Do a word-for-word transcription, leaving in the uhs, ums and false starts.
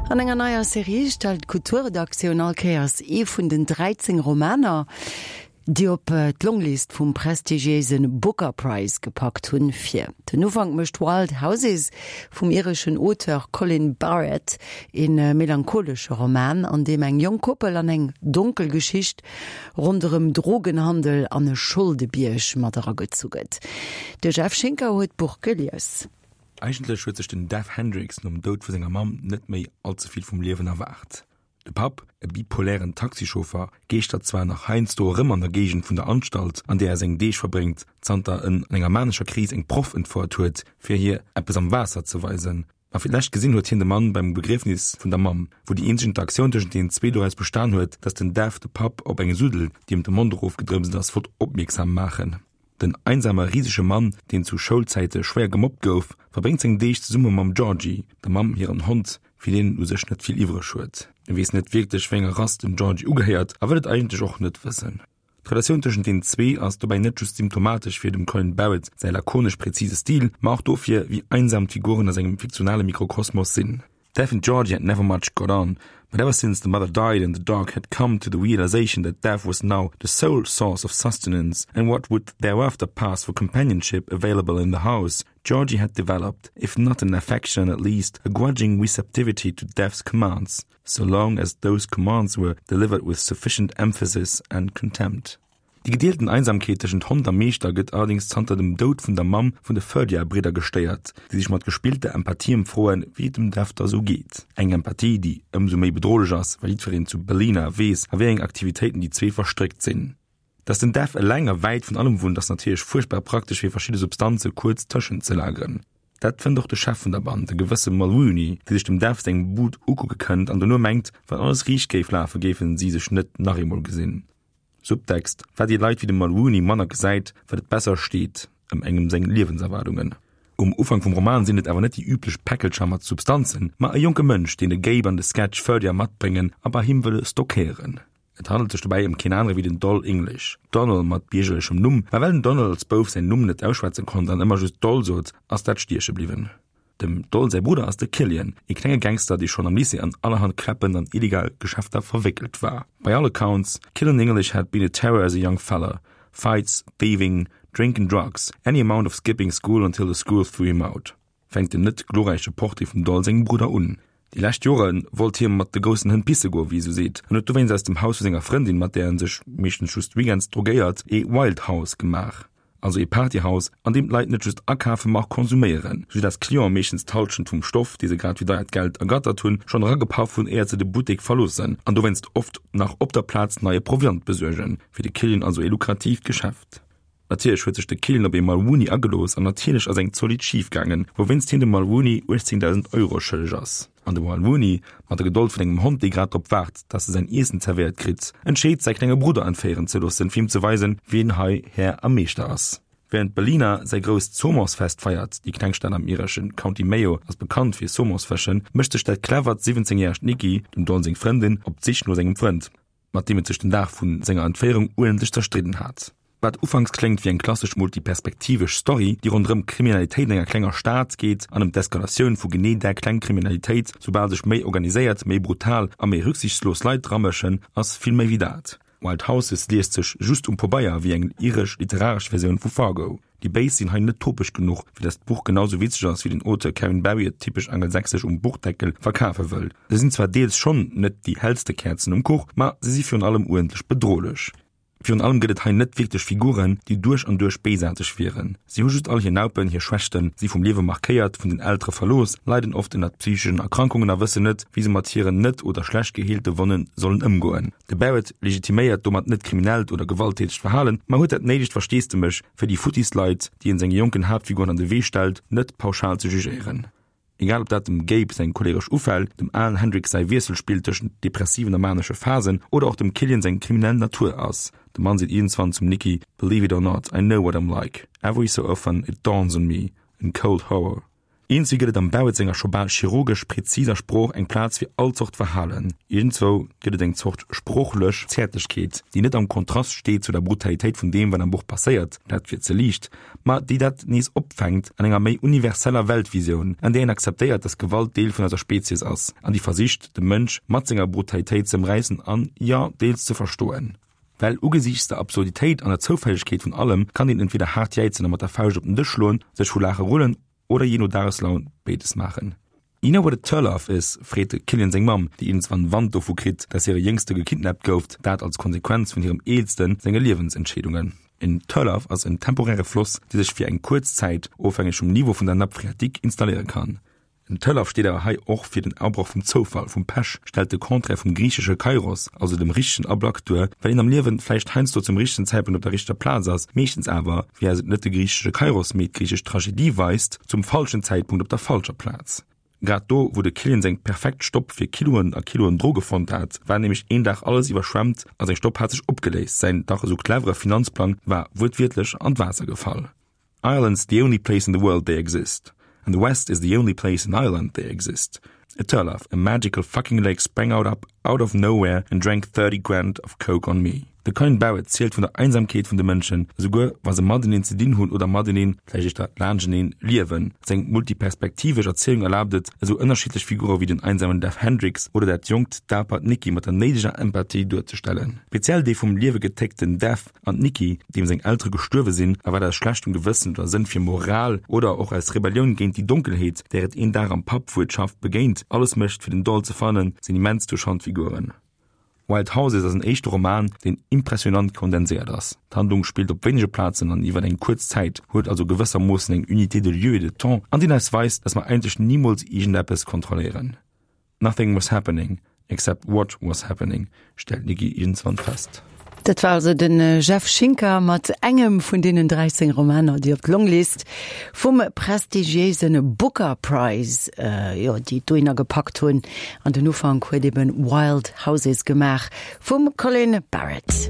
An enger neier Serie stellt d'Kulturredaktioun all Kéiers ee vun den dräizéng Romaner, déi op d'Longlist vum prestigiéise Booker Prize gepackt hunn, vir. Den Ufank mécht Wild Houses vum ireschen Auteur Colin Barrett, e melancholesche Roman, an deem eng jonk Koppel an eng donkel Geschicht ronderëm Drogenhandel an e Scholdebierg mat eragezu gëtt. De Jeff Schinker huet d'Buch gelies. Eigentlech huet sech den Dev Hendricks nom Doud vu senger Mamm net méi allze vill vum Liewen erwaart. De Papp, e bipolären Taxichauffer, geeschtert zwar nach heiansdo erëm an der Géigend vun der Anstalt, an där e seng Deeg verbréngt, zanter en an enger manescher Kris eng Proff entfouert huet, fir hir eppes am Waasser ze weisen. Ma fir d'lescht gesinn huet hien de Mann beim Begriefnis vun der Mamm, wou déi eenzeg Interaktioun tëschent deenen zwee doraus bestan huet, dass den Dev de Papp op eng Suddel, déi em de Mond erofgedrëpst ass, wollt opmierksam maachen. Den einsame risege Mann, deen zu Schoulzäite schwéier gemobbt gouf, verbréngt seng Deeg zesumme mam Georgie, der Mamm hiren Hond, fir deen en u sech net vill iwwreg huet. E weess net wierklech, wéi enger Rass den Georgie ugehéiert a wëll et eigentlech och net wëssen. D'Relatioun tëschent deenen zwee ass dobäi net just symptomatesch fir dem Colin Barrett säi lakonesch präzise Stil, ma och dofir, wéi einsam d'Figuren a sengem fiktionale Mikrokosmos sinn. Dev and Georgie had never much got on, but ever since the mother died and the dog had come to the realization that Dev was now the sole source of sustenance and what would thereafter pass for companionship available in the house, Georgie had developed, if not an affection at least, a grudging receptivity to Dev's commands, so long as those commands were delivered with sufficient emphasis and contempt. Déi gedeelten Einsamkeet tëschent Hond a Meeschter gëtt allerdéngs zanter dem Doud vun der Mamm vun de Ferdia-Bridder gestéiert, déi sech mat gespillter Empathie ëmfroen, wéi et dem Dev da sou geet. Eng Empathie, déi ëmsou méi bedrohlech ass, well jiddwereen zu Ballina weess, a wéi eng Aktivitéiten déi zwee verstréckt sinn. Dass den Dev eleng a wäit vun allem wunnt, ass natierlech fuerchtbar praktesch fir verschidde Substanze kuerz tëschenzelageren. Dat fënnt och de Chef vun der Band, e gewësse Mulrooney, dee sech dem Dev seng Bud ukucke kënnt an dono mengt, wann alles riicht géif lafen, géife si sech net nach eemol gesinn. Subtext, Wat ee Leit wéi de Mulrooney manner gesäit, wat et besser steet ëm engem seng Liewenserwaardungen. Um Ufank vum Roman sinn et awer net déi üblech Päckelcher mat Substanzen, ma e jonke Mënsch, deen de Gabe an de Sketch Ferdia matbréngen a bei him wëlle stockéieren. Et handelt sech dobäi ëm keen anere wéi den Doll English, Donal mat biergerlechem Numm, ma well den Donal als Bouf säin Numm net ausschwätze konnt an ëmmer just Doll sot, ass dat stieche bliwwen. Dem Doll säi Brudder ass de Killian, e klenge Gangster, dee schonn am Lycée an allerhand Kläppen an illegal Geschäfter verwéckelt war. By all accounts, Killian English had been a terror as a young fella. Fights, thieving, drink and drugs, any amount of skipping school until the school threw him out. Fänkt den net glorräiche Portrait vum Doll sengem Brudder un. Déi lescht Jore wollt hie mat de groussen Hënn pisse goen, wéi ee sou seet, an huet dowéinst aus dem Haus vu senger Frëndin, mat där en sech meeschtens just weekends drogéiert, ee Wild House gemaach. Also ee Partyhaus, an deem d'Leit net just akafen, ma och konsuméieren, sou dass d'Clienten meeschtens d'Hallschent vum Stoff, dee se grad fir deiert Geld ergattert hunn, schonn eragepaff hunn, éiert se de Buttek verloossen, an dowéinst oft nach op der Plaz neie Proviant besuergen. Fir de Killian also ee lukratiivt Geschäft. Natierlech huet sech de Killian op ee Mulrooney agelooss an natierlech ass eng zolidd schif gaangen, wouwéinst hien dem Mulrooney uechtzéngdausend Euro schëlleg ass. An de Mulrooney, mat der Gedold vun engem Hond, dee grad drop waart, dass e säin Iessen zerwéiert kritt, entscheet, säi klenge Brudder entféieren ze loossen, fir him ze weisen, wien hei Här a Meeschter ass. Wärend Ballina säi grousst Somonsfest feiert, déi kleng Stad am iresche County Mayo ass bekannt fir Somonsfëschen, mécht sech dat clevert siwwenzéngjäregt Nikki, dem Don seng Frëndin, op d'Sich no sengem Frënd, mat deem et sech den Dag vu senger Entféierung uerdentlech zerstridden hat. Wat ufanks kléngt wéi eng klassesch multiperspektivesch Story, déi ronderëm Kriminalitéit an enger klenger Stad geet an ëm d'Eskalatioun vu genee där kleng Kriminalitéit, soubal sech méi organiséiert, méi brutal a méi rücksichtslos Leit dramëschen, ass vill méi wéi dat. Wild Houses liest sech just um Pabeier wéi eng iresch literaresch Versioun vu Fargo. Déi Béis sinn hei net topeg genuch, fir dass d'Buch genau sou witzeg ass, wéi den Auteur Kevin Barry et typesch angelsächsesch um Buchdeckel verkafe wëll. Se sinn zwar deels schonn net déi hellste Käerzen um Kuch, ma se si virun allem uerdentlech bedrohlech. Virun allem gëtt et hei net wierklech Figuren, déi duerch an duerch béisaarteg wieren. Si hu just all hir Naupen, hir Schwächten, si vum Liewe markéiert, vun den Eltere verlooss, leiden oft ënnert psycheschen Erkrankungen a wëssen net, wéi se mat hiren net oder schlecht geheelte Wonne sollen ëmgoen. De Barrett legitiméiert domat net kriminellt oder gewalttätegt Verhalen, ma huet dat néidegt Versteesdemech, fir déi futtis Leit, déi en senge jonken Haaptfiguren an de Wee stellt, net pauschal ze jugéieren. Egal ob dat dem Gabe seng choleresch Ufäll, dem Al Hendricks säi Wiesselspill tëschent depressiven a manesche Phasen oder och dem Killian seng kriminell Natur ass. De Mann seet iergendwann zum Nikki, Believe it or not, I know what I'm like. Every so often it dawns on me, in cold horror. Iergendswéi gëtt et am Barrett senger scho bal chirurgesch präziser Sprooch eng Plaz fir all Zort Verhalen. Iergendzwou gëtt et eng Zort sproochlech Zäertlechkeet, déi net am Kontrast steet zu der Brutalitéit vun deem, wat am Buch passéiert, dat wier ze liicht, ma déi dat nees opfänkt an enger méi universeller Weltvisioun, an där een akzeptéiert, dass Gewalt Deel vun eiser Spezies ass an déi versicht, de Mënsch mat senger Brutalitéit ze ëmräissen an, jo, deels ze verstoen. Well ugesiichts der Absurditéit an der Zoufällegkeet vun allem kann een entweder haart jäizen a mat der Fauscht op den Dësch schloen, sech vu Laache rullen oder jee no Dageslaun béides maachen. You know what a turlough is? freet de Killian seng Mamm, déi iergendswann Wand dovu kritt, dass hire Jéngste gekidnappt gouf, dat als Konsequenz vun hirem Eelste senge Liewensentscheedungen. En Turlough ass en temporäre Floss, dee sech fir eng kuerz Zäit, ofhängeg vum Niveau vun der Nappe phréatique, installéiere kann. En Turlough steet awer hei och fir den Abroch vum Zoufall, vum Pech, stellt de Contraire vum griichesche Kairos, also dem richtegen Ablack duer, well een am Liewen vläicht heiansdo zum richtegen Zäitpunkt op der richteger Plaz ass, meeschtens awer, wéi eis et net de griichesche Kairos, mee d'griichesch Tragedie weist, zum falschen Zäitpunkt op der falscher Plaz. Grad do, wou de Killian seng perfekt Stopp fir Kiloen a Kiloen Droge fonnt hat, war nämlech een Dag alles iwwerschwemmt a seng Stopp hat sech opgeléist, säin dach esou clevere Finanzplang war wuertwiertlech an d'Waasser gefall. Ireland's the only place in the world they exist. And the West is the only place in Ireland they exist. A turlough, a magical fucking lake sprang out up out of nowhere and drank thirty grand of coke on me. De Colin Barrett zielt vun der Einsamkeet vun de Mënschen, esouguer wa se mateneen ze dinn hunn oder mateneen, vläicht éischter laanschteneen, liewen. Seng multiperspektivesch Erzielung erlaabt et, esou ënnerschiddlech Figure wéi den einsamen Def Hendricks oder dat jonkt, dapert Nikki mat der néideger Empathie duerzestellen. Speziell dee vum Liewe getéckten Def an d'Nikki, deem seng Eltere gestuerwe sinn, a wat aus schlechtem Gewëssen oder Sënn fir Moral oder och aus Rebellioun géint déi Donkelheet, där et een Dag am Pub wuertschaft begéint, alles mécht fir den Doll ze fannen, sinn immens touchant Figuren. Wild Houses ass en éischte Roman, deen impressionant kondenséiert ass. D'Handlung spillt op wéinege Plazen an iwwer eng kuerz Zäit, huet also gewëssermoossen eng Unité de lieu et de temps, an deen eis weist, dass mer eigentlech nimools iergendeppes kontrolléieren. Nothing was happening, except what was happening, stellt d'Nikki iergendswann fest. Dat war also de Jeff Schinker mat engem vun deenen dräizéng Romaner, déi op d'Longlist vum prestigiéise Booker Prize, jo, déi dohinner gepackt hunn. An den Ufank huet eben Wild Houses gemaach vum Colin Barrett.